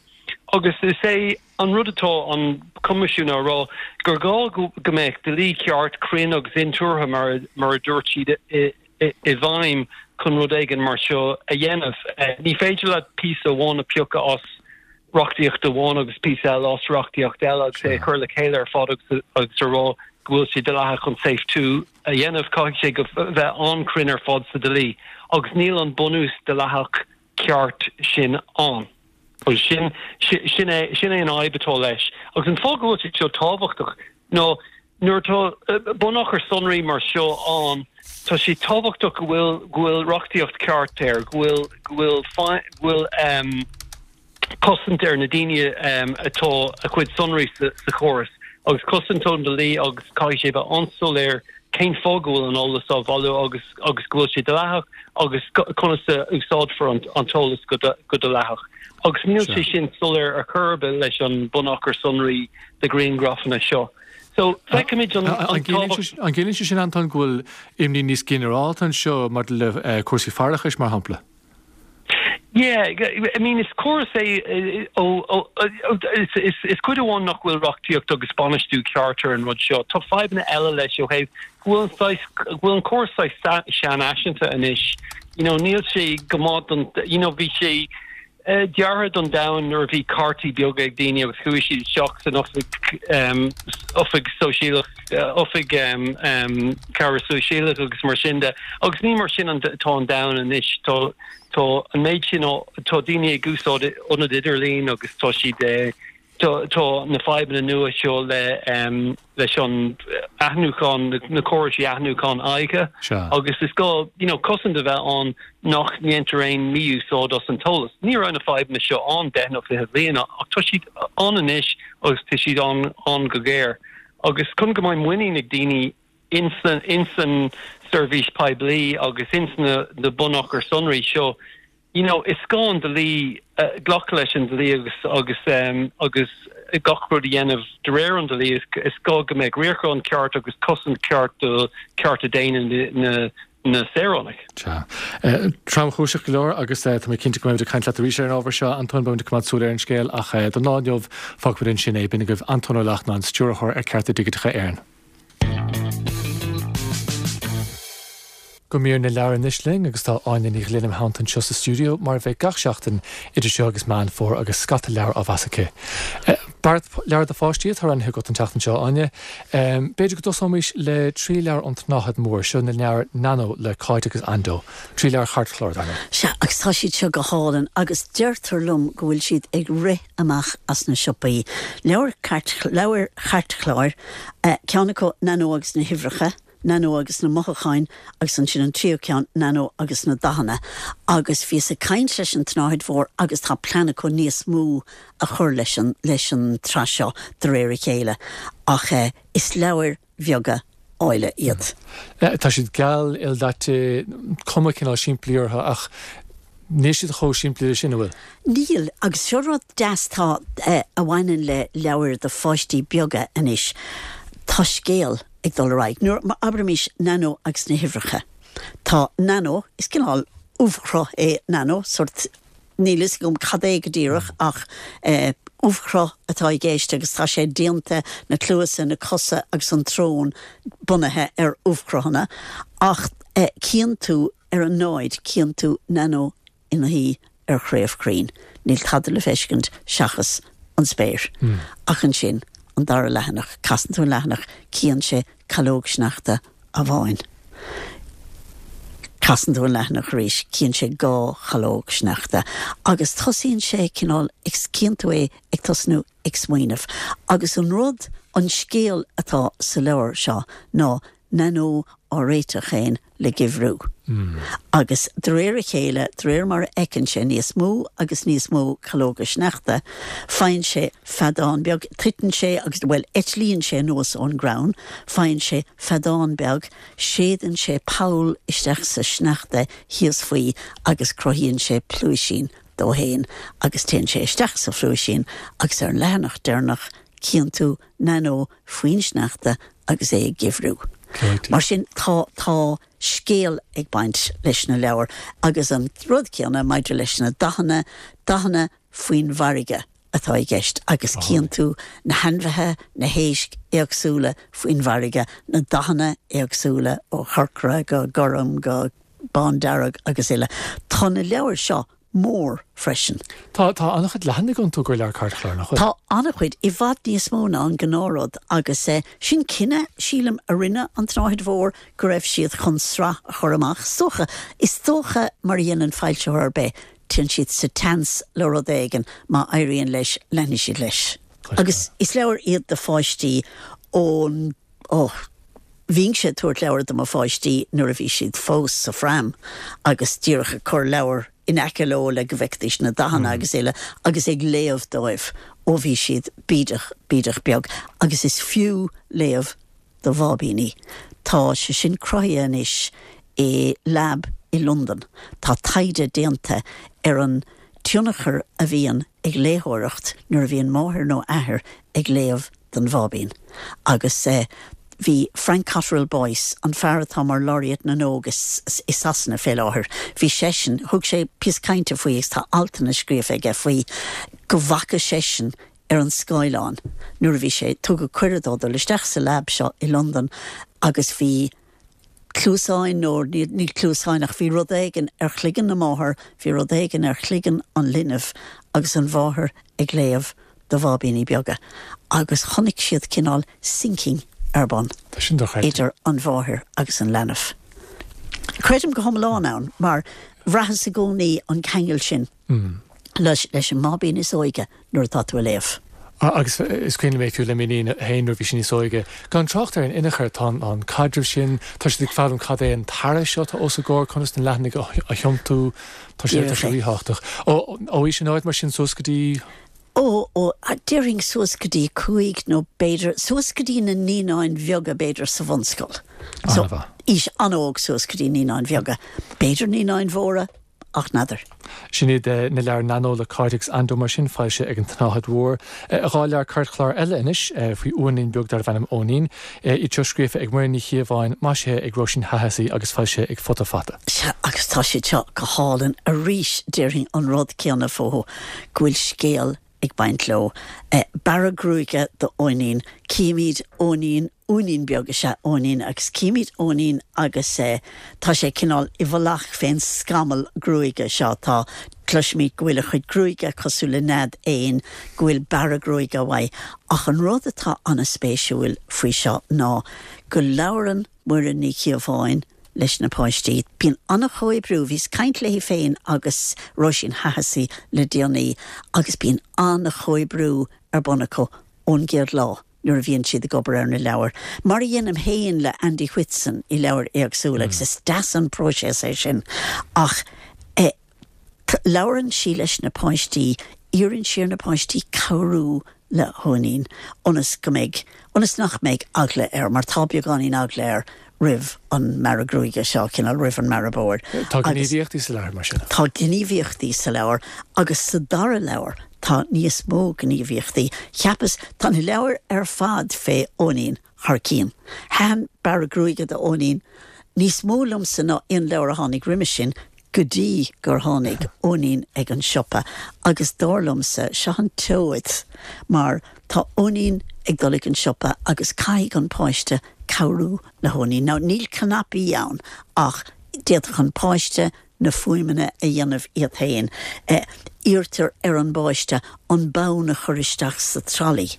Agus is é an rud atá an Coimisiún á rá gur gá go mbeadh dlí ceart, cruinn agus intuartha mar mar a dúirt siad i i bhfeidhm chun rud éigin mar seo a dhéanamh. Ní féidir leat píosa amháin a phiocadh as reachtaíocht amháin agus píosa eile as reachtaíocht eile agus é a chur le chéile ar fad agus a rá go bhfuil sé dleathach chun SAFE 2 a dhéanamh. Caithfidh sé go bheith an-chruinn ar fad sa dlí agus níl an bunús dleathach. ceart sin ann. Agus sin, sin é, sin é an fhadhb atá leis. Agus an fáth go bhfuil sé seo tábhachtach ná nuair atá bunachar sonraí mar seo ann, tá sé tábhachtach go bhfuil, go bhfuil reachtaíocht ceart air, go bhfuil, go bhfuil, go bhfuil ehm, cosaint ar na daoine atá a chuid sonraí sa chóras agus cosaint ón dlí agus caithfidh sé bheith an-soiléir cén fáth go bhfuil an eolas á bhailiú agus agus go bhfuil sé dleathach agus conas a úsáidfear an an t-eolas go go dleathach. Agus níl sé sin soiléir ar chor ar bith leis an bunachar sonraí de ghrianghrafanna seo. So feicimid an an tábhacht. An gciallaíonn sé sin, Antóin, go bhfuil imní níos ginearálta anseo maidir le cúrsaí faireachais, mar shampla? Yeah, I mean is córas é ó is is cuid amháin nach bhfuil reachtaíocht agus bainistiú ceart ar an rud seo. Tá fadhbanna eile leis ó thaobh go bhfuil an saghas go bhfuil an córas saghas seanfhaiseanta anois. You know níl sé go maith don you know bhí sé deartha don domhan nuair a bhí cártaí beaga ag daoine agus chuaigh siad isteach san oifig oifig sóisialach oifig cabhair sóisialach agus mar sin de. Agus ní mar sin atá an domhan anois. Tá tá an méid sin tá daoine ag úsáid ionad idirlín agus tá siad tá tá na fadhbanna nua seo le leis an aithniúchán, na córais aithniúchán aghaidhe agus is gá you know cosaint a bheith ann nach ndéantar aon mí-úsáid as an t-eolas. Ní raibh na fadhbanna seo ann deich nó 20 bliain ach tá siad ann anois agus tá siad ann ann go géar. Agus chun go mbeidh muinín ag daoine insan seirbhís poiblí agus ins na bunachair sonraí seo, you know, is gá an dlí, glacadh leis an dlí agus agus agus gach rud a dhéanamh de réir an dlí. Is gá go mbeadh riarachán ceart agus cosaint ceart do chearta daonna na na saoránach. Sea. Tromchúiseach go leor agus tá mé cinnte go mbeimid ag caint leat arís ar an ábhar seo, Antóin. Beimid ag coimeád súil ar an scéal ach don lá inniu, fágfaimid ansin é. B'in agaibh Antóin Ó Lachtnáin, Stiúrthóir ar Cearta Digiteacha Éireann. Go mír na leabhar anois linn agus tá Áine Ní Ghlinn im theannta anseo sa stiúideo mar a bheidh gach seachtain idir seo agus Meán Fómhair agus scata leabhar á mheas aici. Beart leabhar do pháistí atá roghnaithe agat an tseachtain seo, Áine. B'fhéidir go dtosóimis le trí leabhar ón tSnáthaid Mhór, seo na leabhair Nano le Cáit agus Ando. Trí leabhar chairtchláir, dar ndóigh. Sea, agus tá siad seo go hálainn agus deirtear liom go bhfuil siad ag rith amach as na siopaí. Leabhair cairt, leabhair chairtchláir, ceann acu Nano agus na huimhreacha, Nano agus na mothúcháin agus ansin an tríú ceann, Nano agus na dathanna. Agus bhíos ag caint leis an tSnáthaid Mhór agus tá plean acu níos mó a chur leis an leis an tsraith seo de réir a chéile ach is leabhair bheaga áille iad. Tá siad geal, ildaite, cuma cineál simplí orthu ach níl siad chomh simplí leis sin, an bhfuil? Níl, agus seo rud deas tá a bhaineann le leabhair do pháistí beaga anois, tá scéal ag dul ar aghaidh. Nuair, abraimis Nano agus na huimhreacha. Tá Nano, is cineál ubhchruth é Nano, sórt, níl fhios agam cad é go díreach ach ubhchruth atá i gceist agus tá sé déanta, na cluasa, na cosa agus an tsrón bunaithe ar ubhchruthanna ach cíonn tú ar an náid, cíonn tú Nano ina shuí ar chraobh crainn. Níl tada le feiscint seachas an spéir. Ach ansin, an dara leathanach, casann tú an leathanach, cíonn sé calóg sneachta amháin. Casann tú an leathanach arís, cíonn sé dhá chalóg sneachta. Agus tosaíonn sé cineál, cíonn tú é ag tosnú ag smaoineamh. Agus an rud, an scéal atá sa leabhar seo ná Nano á réiteach féin le geimhriú. Agus de réir a chéile, de réir mar a fheiceann sé níos mó agus níos mó calóga sneachta, faigheann sé feadán beag, titeann sé agus, bhuel, eitlíonn sé anuas ón gcrann, faigheann sé feadán beag, séideann sé poll isteach sa sneachta thíos faoi agus cruthaíonn sé pluaisín dó fhéin agus téann sé isteach sa phluaisín agus ar an leathanach deireanach cíonn tú Nano faoin sneachta agus é ag geimhriú. Mar sin, tá, tá scéal ag baint leis na leabhair agus an rud céanna maidir leis na dathanna, dathanna faoin bhfarraige atá i gceist agus cíonn tú na hainmhithe, na héisc éagsúla faoin bhfarraige, na dathanna éagsúla ó chorcra go gorm go bándearg agus uile. Tá na leabhair seo mór freisin. Tá, tá an-chuid leathanaigh iontu do leabhar cairtchláir, nach bhfuil? Tá an-chuid, i bhfad níos mó ná an gnáthrud agus sin cinneadh, sílim, a rinne an tSnáthaid Mhór go raibh siad chun sraith a chur amach. Is dócha, is dócha mar a dhéanann foilsitheoir ar bith. Téann siad sa tseans le rud éigin, má éiríonn leis, leanfaidh siad leis. Agus is leabhair iad do pháistí ón, ó, bhínnse ag tabhairt leabhar do mo pháistí nuair a bhí siad fós sa phram agus díreach ag cur leabhar in aice leo le go bhfeicfidís na dathanna agus uile agus ag léamh dóibh ó bhí siad bídeach, bídeach beag. Agus is fiú léamh do bháibíní. Tá sé sin cruthaithe anois i lab i Londain. Tá taighde déanta ar an tionchar a bhíonn ag léitheoireacht nuair a bhíonn máthair nó athair ag léamh don bháibín. Agus bhí Frank Cottrell Boyce, an fear atá mar Laureate na nÓg i Sasana fé láthair, bhí seisean, thug sé píosa cainte faoi agus tá altanna scríofa aige faoi go bhfaca seisean ar an scáileán nuair a bhí sé, tugadh cuireadh dó dul isteach sa lab seo i Londain agus bhí cluasáin nó ní cluasáin ach bhí rud éigin ar chloigeann na máthar, bhí rud éigin ar chloigeann an linbh agus an mháthair ag léamh do bháibíní beaga agus chonaic siad cineál syncing ar bun idir an mháthair agus an leanbh. Creidim go hiomlán ann mar bhraitheas i gcónaí an ceangal sin. leis an mbáibín is óige nuair atá tú ag léamh. Agus is cuimhin liom é fiú le m'iníon féin nuair a bhí sí níos óige. Gan trácht ar an inneachar, tá an caidreamh sin, tá siad ag foghlaim cad é an t-earra seo atá os a gcomhair, conas na leathanaigh a thiontú, tá sé tá sé ríthábhachtach. Ó aois an-óg mar sin suas go dtí. Ó, ó, déarfainn suas go dtí 5 nó b'fhéidir suas go dtí na naíonáin bheaga b'fhéidir sa bhunscoil. So, aois an-óg suas go dtí naíonáin bheaga. B'fhéidir naíonáin mhóra, ach n'fheadar. Sin iad na leabhair Nano le Cáit agus Ando mar sin, foilsithe ag an tSnáthaid Mhór. 2 leabhar cairtchláir eile anois faoi uainín beag darbh ainm Eoinín. Iad seo scríofa ag Muireann Ní Chíobháin, maisithe ag Róisín Hahessy agus foilsithe ag Futa Fata. Sea, agus tá siad seo go hálainn. Arís, déarfainn an rud céanna fúthu, go bhfuil scéal ag baint leo. Bearradh gruaige do Eoinín. Címid Eoinín, uainín beag is ea Eoinín, agus címid Eoinín agus tá sé cineál i bhfolach fén scamall gruaige seo. Tá, cloisimid go bhfuil a chuid gruaige cosúil le nead éin, go bhfuil bearradh gruaige uaidh. Ach an rud atá an-spéisiúil faoi seo ná go labhrann Muireann Ní Chíobháin leis na páistí. Bíonn an-chomhoibriú, bhíos ag caint léi féin agus Róisín Hahessy le déanaí agus bíonn an-chomhoibriú ar bun acu ón gcéad lá nuair a bhíonn siad ag obair ar na leabhair, mar a dhéanaim féin le Andy Whitson i leabhair éagsúla agus is deas an próiseas é sin ach eh Labhrann sí leis na páistí, iarrann sí ar na páistí cabhrú le hEoinín ionas go mbeidh, ionas nach mbeidh eagla air, mar tá beagáinín eagla air roimh an mbearradh gruaige seo, cineál roimh an mbearradh bodhar. Tá gníomhaíochtaí sa leabhar mar sin? Tá gníomhaíochtaí sa leabhar agus sa dara leabhar tá níos mó gníomhaíochtaí. Cheapas, tá na leabhair ar fad fé Eoinín thar cionn. Thaitin Bearradh Gruaige do Eoinín níos mó liomsa ná aon leabhar a tháinig roimis sin, go dtí gur tháinig Eoinín ag an siopa agus dar liomsa, seo an tseoid mar tá Eoinín ag dul ag an siopa agus caithfidh an páiste cabhrú le hEoinín. Now níl cnaipí ann ach d'fhéadfadh an páiste na fuaimeanna a dhéanamh iad féin. Iarrtar ar an bpáiste an bonn a chur isteach sa tralaí.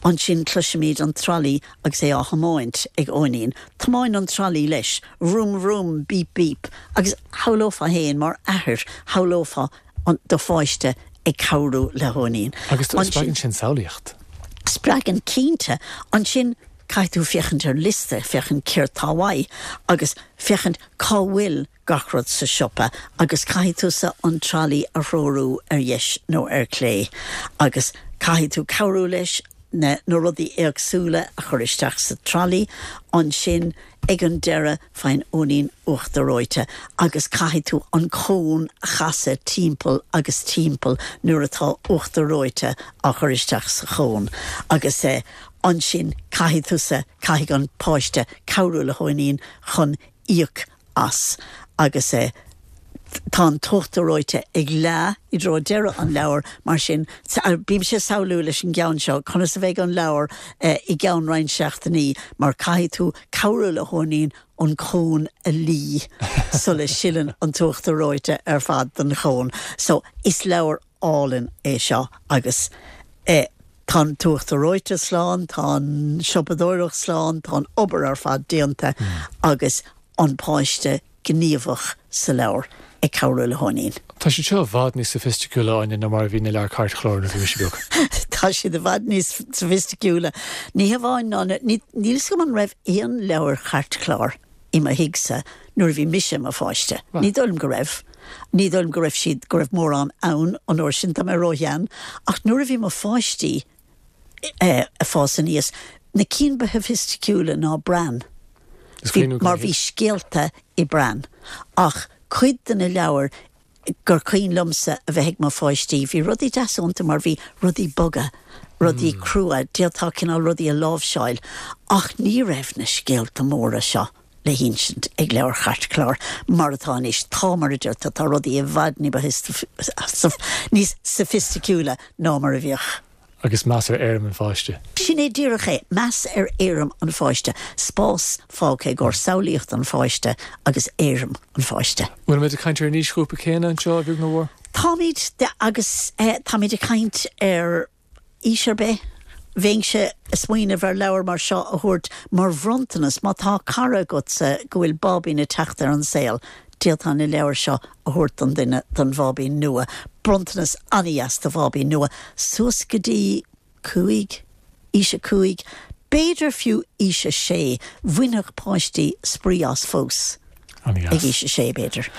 Ansin cloisimid an tralaí agus é á thiomáint ag Eoinín. Tiomáin an tralaí leis. Vroom vroom, beep beep. Agus shamhlófá féin mar athair, shamhlófá do pháiste ag cabhrú le hEoinín. Agus spreagann sin samhlaíocht. Spreagann, cinnte. Ansin caithfidh tú féachaint ar liosta, féachaint céard tá uaidh agus féachaint cá bhfuil gach rud sa siopa agus caithfidh tusa an tralaí a threorú ar dheis nó ar clé agus caithfidh tú cabhrú leis na na rudaí éagsúla a chur isteach sa tralaí. Ansin ag an deireadh faigheann Eoinín uachtar reoite agus caithfidh tú an cón a chasadh timpeall agus timpeall nuair atá uachtar reoite á chur isteach sa chón agus ansin caithfidh tusa, caithfidh an páiste cabhrú le hEoinín chun íoc as agus tá an t-uachtar reoite ag leá i dtreo deireadh an leabhair, mar sin bímse ag samhlú leis an gceann seo conas a bheidh an leabhar i gceann roinnt seachtainí mar caithfidh tú cabhrú le hEoinín an cón a lí sula sileann an t-uachtar reoite ar fad den chón. So is leabhar álainn é seo agus tá an t-uachtar reoite slán, tá an siopadóireacht slán, tá an obair ar fad déanta agus an páiste gníomhach sa leabhar. Ag cabhrú le hEoghainín. Tá siad seo i bhfad níos soifisticiúla, Áine, ná mar a bhí na leabhair cairtchláir nuair a bhí mise beag. Tá siad i bhfad níos soifisticiúla. Ní hamháin ná na, níl fhios agam an raibh aon leabhair chairtchláir i mo thigse nuair a bhí mise i mo pháiste. Ní dóigh liom go raibh. Ní dóigh liom go raibh siad, go raibh mórán ann an uair sin, tá mé róshean. Ach nuair a bhí mo pháistí ag fás aníos, na cinn ba shoifisticiúla ná Bran. Bhí, mar bhí scéalta i Bran. Ach cuid de na leabhair gur cuimhin liomsa a bheith ag mo pháistí, bhí rudaí deasa iontu mar bhí rudaí boga, rudaí crua, d'fhéadfá cineál rudaí a láimhseáil. Ach ní raibh na scéalta móra seo le hinsint ag leabhair chairtchláir mar atá anois. Tá, mar a deir tú, tá rudaí i bhfad ní ba níos soifisticiúla ná mar a bhíodh. Agus meas ar éirim an pháiste. Sin é díreach é, meas ar éirim an pháiste, spás fágtha i gcomhair samhlaíocht an pháiste agus éirim an pháiste. Bhfuilimid ag caint ar an aoisghrúpa céanna anseo, a bheag nó a mhór? Táimid, agus táimid ag caint ar aois ar bith. Bheinnse ag smaoineamh ar leabhar mar seo a thabhairt mar bhronntanas má tá cara agatsa go bhfuil báibín ag teacht ar an saol, d'fhéadfá na leabhair seo a thabhairt don duine, don bháibín nua. Bronntanas an-dheas do bháibín nua, suas go dtí 5, aois a 5, b'fhéidir fiú aois a 6, bhainfeadh páistí spraoi as fós ag aois a 6, b'fhéidir.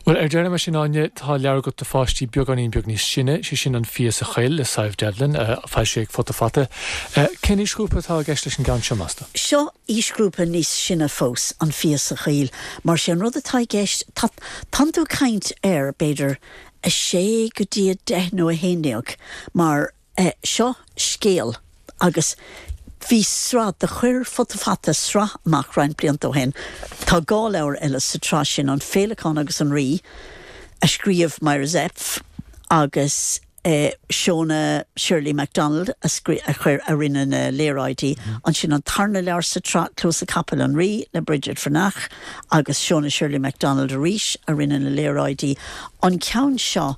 Bhuel, ar deireadh mar sin, Áine, tá leabhar agat do pháistí beagáinín beag níos sine, sé sin An Fia sa Choill le Sadhbh Devlin, foilsithe ag Futa Fata. Cén aoisghrúpa atá i gceist leis an gceann seo, meas tú? Seo aoisghrúpa níos sine fós, an fia sa choill, mar sé an rud atá i gceist, tá, tánn tú ag caint ar, b'fhéidir, 6 go dtí 10 nó 11, mar eh, seo scéal agus bhí sraith, do chuir Futa Fata sraith amach roinnt blianta ó shin, tá dhá leabhar eile sa tsraith sin, An Féileacán agus an Rí, a scríobh Myra Zepf agus. Shona Shirley MacDonald a chuir, a rinne na léaráidí. Ansin an tarna leabhar sa tsraith, Cluasa Capaill an Rí le Bridget Bhreathnach agus Shona Shirley MacDonald arís a rinne na léaráidí. An ceann seo,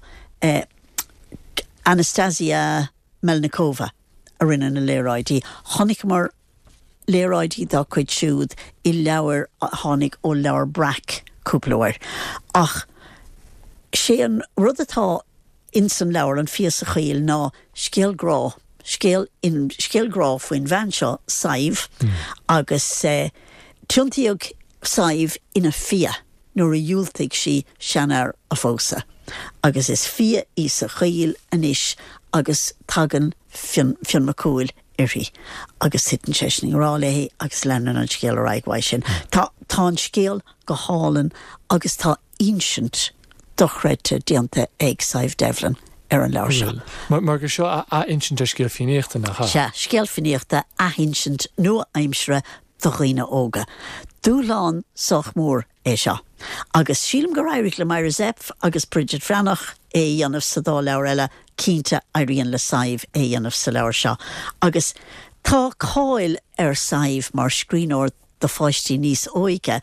Anastasia Melnikova a rinne na léaráidí. Chonaiceamar léaráidí dá cuid siúd i leabhair a tháinig ó Leabhar Breac cúpla uair. Ach sé an rud atá ins an leabhar, An Fia sa Choill, ná scéal grá, scéal, scéal grá faoin bhean seo, Sadhbh, agus tiontaíodh Sadhbh ina fia nuair a dhiúltaigh sí seanfhear a phósadh. Agus is fia í sa choill anois agus tagann Fionn, Fionn Mac Cumhaill uirthi agus titeann seisean i ngrá léi agus leanann an scéal ar aghaidh uaidh sin. Tá, tá an scéal go hálainn agus tá insint dochreidte déanta ag Sadhbh Devlin ar an leabhar seo. Mar, mar gur seo athinsint ar scéal Fiannaíochta, nach ea? Sea, scéal Fiannaíochta, athinsint nua-aimseartha do dhaoine óga. Dúshlán sách mór é seo. Agus sílim gur éirigh le Myra Zepf agus Bridget Bhreathnach é a dhéanamh sa dá leabhar eile, cinnte éiríonn le Sadhbh é a dhéanamh sa leabhar seo. Agus tá cáil ar Sadhbh mar scríbhneoir do pháistí níos óige,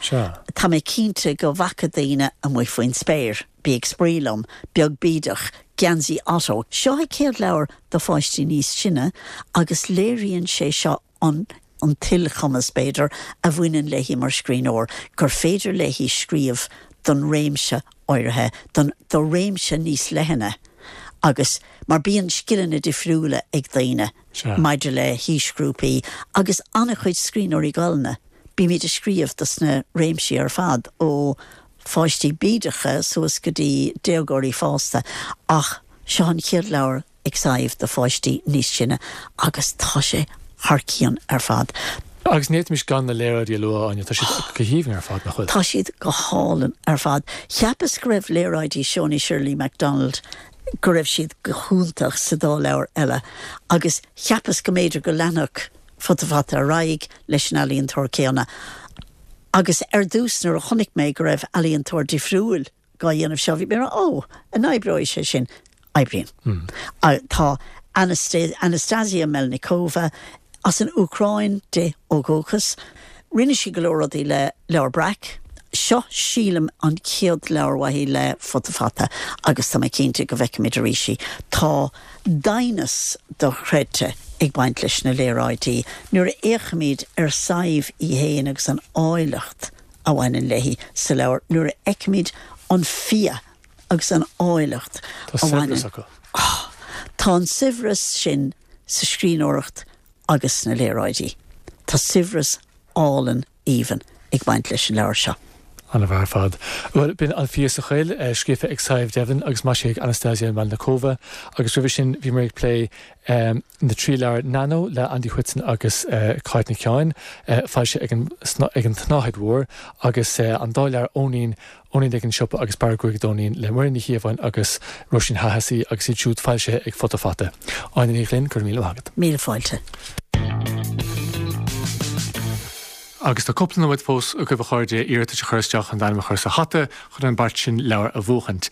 tá mé cinnte go bhfaca daoine Amuigh Faoin Spéir, Bí ag Spraoi Liom, Beag Bídeach, Geansaí Otto. Seo a céad leabhar do pháistí níos sine agus léiríonn sé seo an an t-ilchumas, b'fhéidir, a bhaineann léi mar scríbhneoir, gur féidir léi scríobh don réimse áirithe, don do réimse níos leithne agus mar bíonn scileanna difriúla ag daoine maidir le haoisghrúpaí agus an-chuid scríbhneoirí Gaelainne, bímid ag scríobh dos na réimsí ar fad, ó pháistí bídeacha suas go dtí déagóirí fásta ach seo an chéad leabhar ag Sadhbh do pháistí níos sine agus tá sé thar cionn ar fad. Agus ní fhéadfaimis gan na léaráidí a lua, Áine, tá siad go haoibhinn ar fad, nach bhfuil? Tá siad go hálainn ar fad. Cheapas go raibh léaráidí Shona Shirley MacDonald, go raibh siad go hiontach sa dá leabhar eile agus cheapas go mb'fhéidir go leanfadh Futa Fata ar aghaidh leis an ealaíontóir céanna. Agus ar dtús nuair a chonaic mé go raibh ealaíontóir difriúil dhá dhéanamh seo, bhí mé mar, ó, an oibreoidh sé sin? Oibríonn. Tá Anastasia Melnikova as an Úcráin di ó dhúchas. Rinne sí go leor rudaí le Leabhar Breac. Seo, sílim, an chéad leabhar uaithi le Futa Fata agus tá mé cinnte go bhfeicfimid arís í. Tá doimhneas dochreidte ag baint leis na léaráidí. Nuair a fhéachaimid ar Sadhbh í féin agus an áilleacht a bhaineann léi sa leabhar, nuair a fheicimid. An fia agus an áilleacht a bhaineann. Tá saibhreas acu. Tá an saibhreas sin sa scríbhneoireacht agus sna léaráidí. Tá saibhreas álainn aoibhinn ag baint leis an leabhar seo. An-mhaith ar fad. Bhuel, b'in An Fia sa Choill, scríofa ag Sadhbh Devlin agus maisithe ag Anastasia Melnikova, agus roimhe sin bhíomar ag plé na dtrí leabhar Nano le Andy Whitson agus Cáit Nic Sheáin, foilsithe ag an ag an tSnáthaid Mhór, agus an dá leabhar Eoinín, Eoinín ag an Siopa agus Bearradh Gruaige d'Eoinín le Muireann Ní Chíobháin agus Róisín Hahessy agus iad siúd foilsithe ag Futa Fata. Áine Ní Ghlinn, go raibh míle maith agat. Míle fáilte. Agus tá cúpla nóiméad fós agaibh a chairde iarratais a chur isteach chun d'ainm a chur sa hata chun an beart sin leabhar a bhuachaint.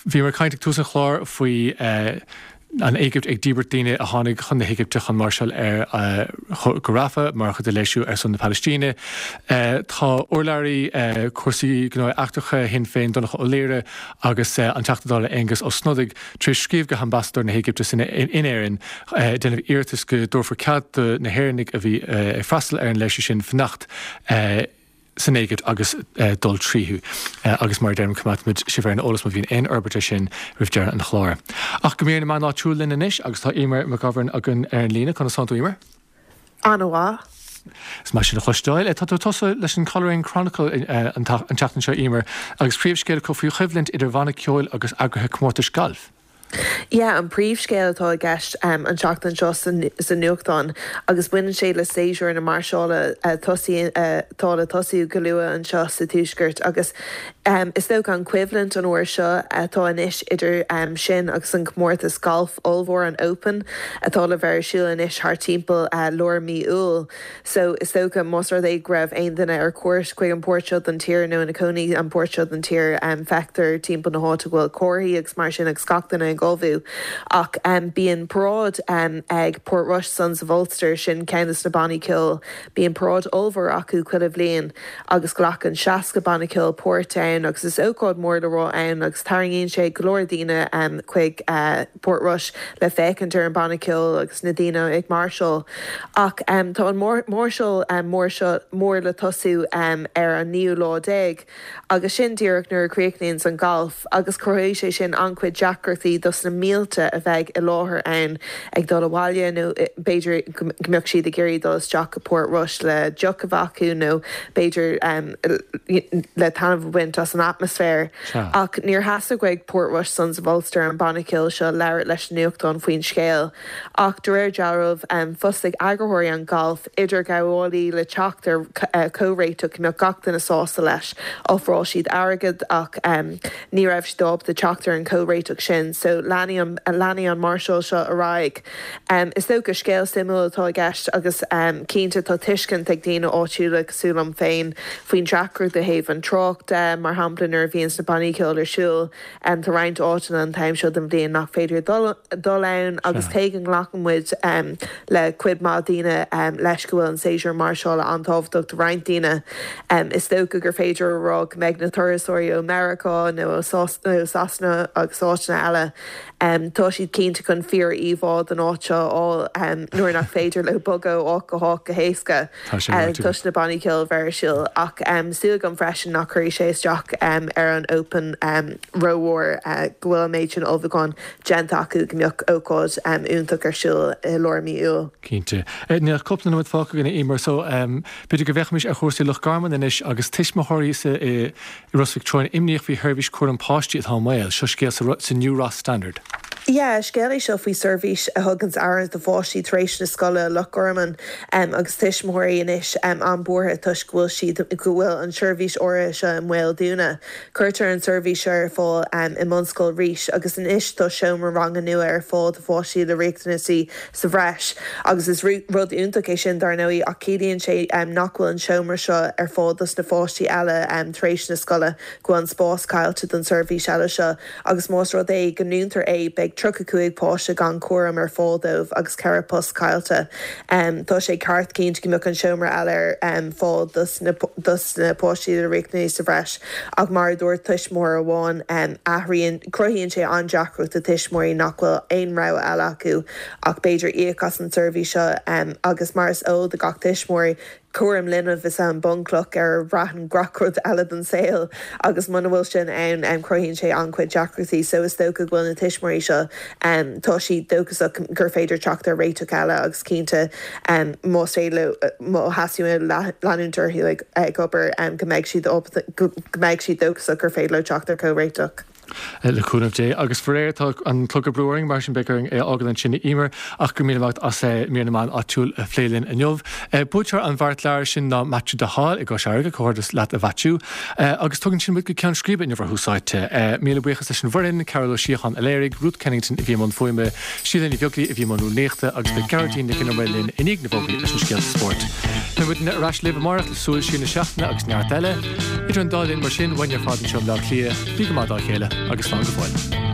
Bhíomar ag caint ag tús an chláir faoi an Éigipt ag díbirt daoine a tháinig chun na hÉigipte chun máirseáil ar go Rafah mar chuid de léirsiú ar son na Palaistíne. Tá urlabhraí cúrsaí gnóthaí eachtracha Shinn Féin Donncha Ó Laoghaire agus an Teachta Dála Aengus Ó Snodaigh tar éis scríobh go hAmbasadóir na hÉigipte in Éirinn ag déanamh iarratais go dtabharfar cead do na hÉireannaigh a bhí ag freastal ar an léirsiú sin fanacht san Éigipt agus dul tríothu. Agus mar a deirim, coimeádfaimid sibh ar an eolas má bhíonn aon fhorbairt ar sin roimh deireadh an chláir. Ach go mír na meán áitiúil linn anois agus tá Eimear McGovern againn ar an líne. Conas tánn tú, Eimear? An-mhaith. Is maith sin a chloisteáil. Tá tú tusa leis an Coleraine Chronicle an tseachtain seo, Eimear, agus príomhscéal acu faoi choimhlint idir bhanna ceoil agus eagraithe comórtais gailf. Yeah, an príomhscéal atá i gceist an tseachtain seo sa nuachtán agus baineann sé le séasúr na máirseála atá le tosú go luath anseo sa Tuaisceart agus is dócha an choimhlint an uair seo atá anois idir sin agus an comórtas gailf ollmhór an Open atá le bheith ar siúl anois thart timpeall lár mí Iúil. So, is dócha, más rud é go raibh aon duine ar cuairt chuig an pháirt seo den tír nó ina cónaí an pháirt seo den tír, feictear timpeall na háite go bhfuil comharthaí agus mar sin agus gach duine ag ullmhú. Ach bíonn paráid ag Portrush Sons of Ulster, sin ceann de na bannaí ceoil, bíonn paráid ollmhór acu chuile bhliain agus glacann 60 banna ceoil páirt ann agus is ócáid mór le rá ann agus tarraingíonn sé go leor daoine chuig Portrush le féachaint ar an banna ceoil agus na daoine ag máirseáil. Ach tá an máirseáil mór seo mór le tosú ar an naoú lá déag agus sin díreach nuair a chríochnaíonns an galf agus cruthóidh sé sin an-chuid deacrachtaí dos na mílte a bheidh i láthair ann ag dul abhaile nó b'fhéidir go mbeadh siad ag iarraidh dul isteach go Port Rois le deoch a bheith acu nó b'fhéidir le taitneamh a bhaint as an atmaisféar. Ach níor theastaigh uaidh Portrush Sons of Ulster, an banna ceoil seo, labhairt leis an nuachtán faoin scéal. Ach de réir dealraimh, d'fhostaigh eagarthóirí an ghailf idirghabhálaí le teacht ar chomhréiteach go mbeadh gach duine sásta leis. Ofráil siad airgead ach ní raibh siad ábalta teacht ar an chomhréiteach sin. So leanfaidh an leanfaidh an máirseáil seo ar aghaidh. Is dócha scéal suimiúil atá i gceist agus cinnte tá tuiscint ag daoine áitiúla cosúil liom féin faoin deacracht ó thaobh an trácht de, mar shampla nuair a bhíonns na bannaí ceoil ar siúl. Tá roinnt áiteanna an t-am seo den bhliain nach féidir dul ann agus cé go nglacann muid le cuid mhaith daoine leis go bhfuil an séasúr máirseála an-tábhachtach do roinnt daoine, is dócha gur féidir a rá go mbeidh na turasóirí ó Meiriceá nó ó Sasana agus áiteanna eile, tá siad cinnte chun fíor-íomhá den áit seo a fháil nuair nach féidir leo bogadh ó áit go háit go héasca. Toisc na bannaí ceoil a bheith ar siúl. Ach súil agam freisin nach cuirfidh sé isteach ar an Open rómhór go bhfuil an méid sin ullmhúcháin déanta acu go mbeadh ócáid iontach ar siúl i lár mí Iúil. Cinnte. Níl ach cúpla nóiméad fágtha againn, a Eimear, so b'fhéidir go bhféachfaimis ar chúrsaí Loch Garman anois agus tuismitheoirí sa i Ros Mhic Treoin imníoch faoi sheirbhís cúram páistí atá i mbaol. Seo scéal sa New Ross Standard. Yeah, scéal é seo faoi seirbhís a thuganns aire do pháistí tar éis na scoile i Loch Garman agus tuismitheoirí anois an-bhuartha toisc go bhfuil siad, go bhfuil an tseirbhís áirithe seo i mbaol dúnadh. Cuirtear an tseirbhís seo ar fáil i mBunscoil Rís agus anois tá seomra ranga nua ar fáil do pháistí le riachtanaisí sa bhreis agus is rud iontach é sin dar ndóigh ach ciallaíonn sé nach bhfuil an seomra seo ar fáil dos na pháistí eile tar éis na scoile, go bhfuil an spás caillte don seirbhís eile seo agus más rud é go ndúntar é beidh 35 páiste gan cúram ar fáil dóibh agus 4 post caillte. Tá sé ceart cinnte go mbeadh an seomra eile ar fáil dos na dos na páistí le riachtanaisí sa bhreis ach mar a dúirt tuismitheoir amháin athraíonn, cruthaíonn sé an-deacracht do tuismitheoirí nach bhfuil aon rogha eile acu ach b'fhéidir íoc as an tseirbhís seo agus mar is eol do gach tuismitheoir. Cúram linbh is ea an bunchloch ar a bhraitheann gach rud eile den saol agus muna bhfuil sin ann cruthaíonn sé an-chuid deacrachtaí so is dócha go bhfuil na tuismitheoirí seo tá siad dóchasach gur féidir teacht ar réiteach eile agus cinnte más féidir leo má theastaíonn uathu leanúint orthu ag obair go mbeidh siad ábalta go mbeidh siad dóchasach gur féidir leo teacht ar chomhréiteach. Le cúnamh Dé. Agus faraor tá an clog ag brú orainn, mar sin beidh orainn é a fhágáil ansin a Emer, ach go raibh míle maith agat as mír na meán áitiúil a phlé linn inniu. Buaiteoir an bheartleabhair sin ná Maitiú de Hál i gCois Fharraige, comhghairdeas leat a Mhaitiú. Agus tugann sin muid go ceann scríbe inniu ar Thús Áite. Míle buíochas leis an bhfoireann, Carol Ó Síocháin a léirigh, Ruth Kennington a bhí i mbun fuaime, Síle Ní Bheaglaoi a bhí i mbun rúnaíochta agus beidh Gearóidín Nic an Iomaire linn i ndiaidh na bhfógraí leis an scéalta spóirt. Beidh muidne ar ais libh amárach le súil siar na seachtaine agus neart eile. Idir an dá linn mar sin, uainne ar fad anseo i mBleá Cliath, bí go maith dá chéile agus slán go fóill.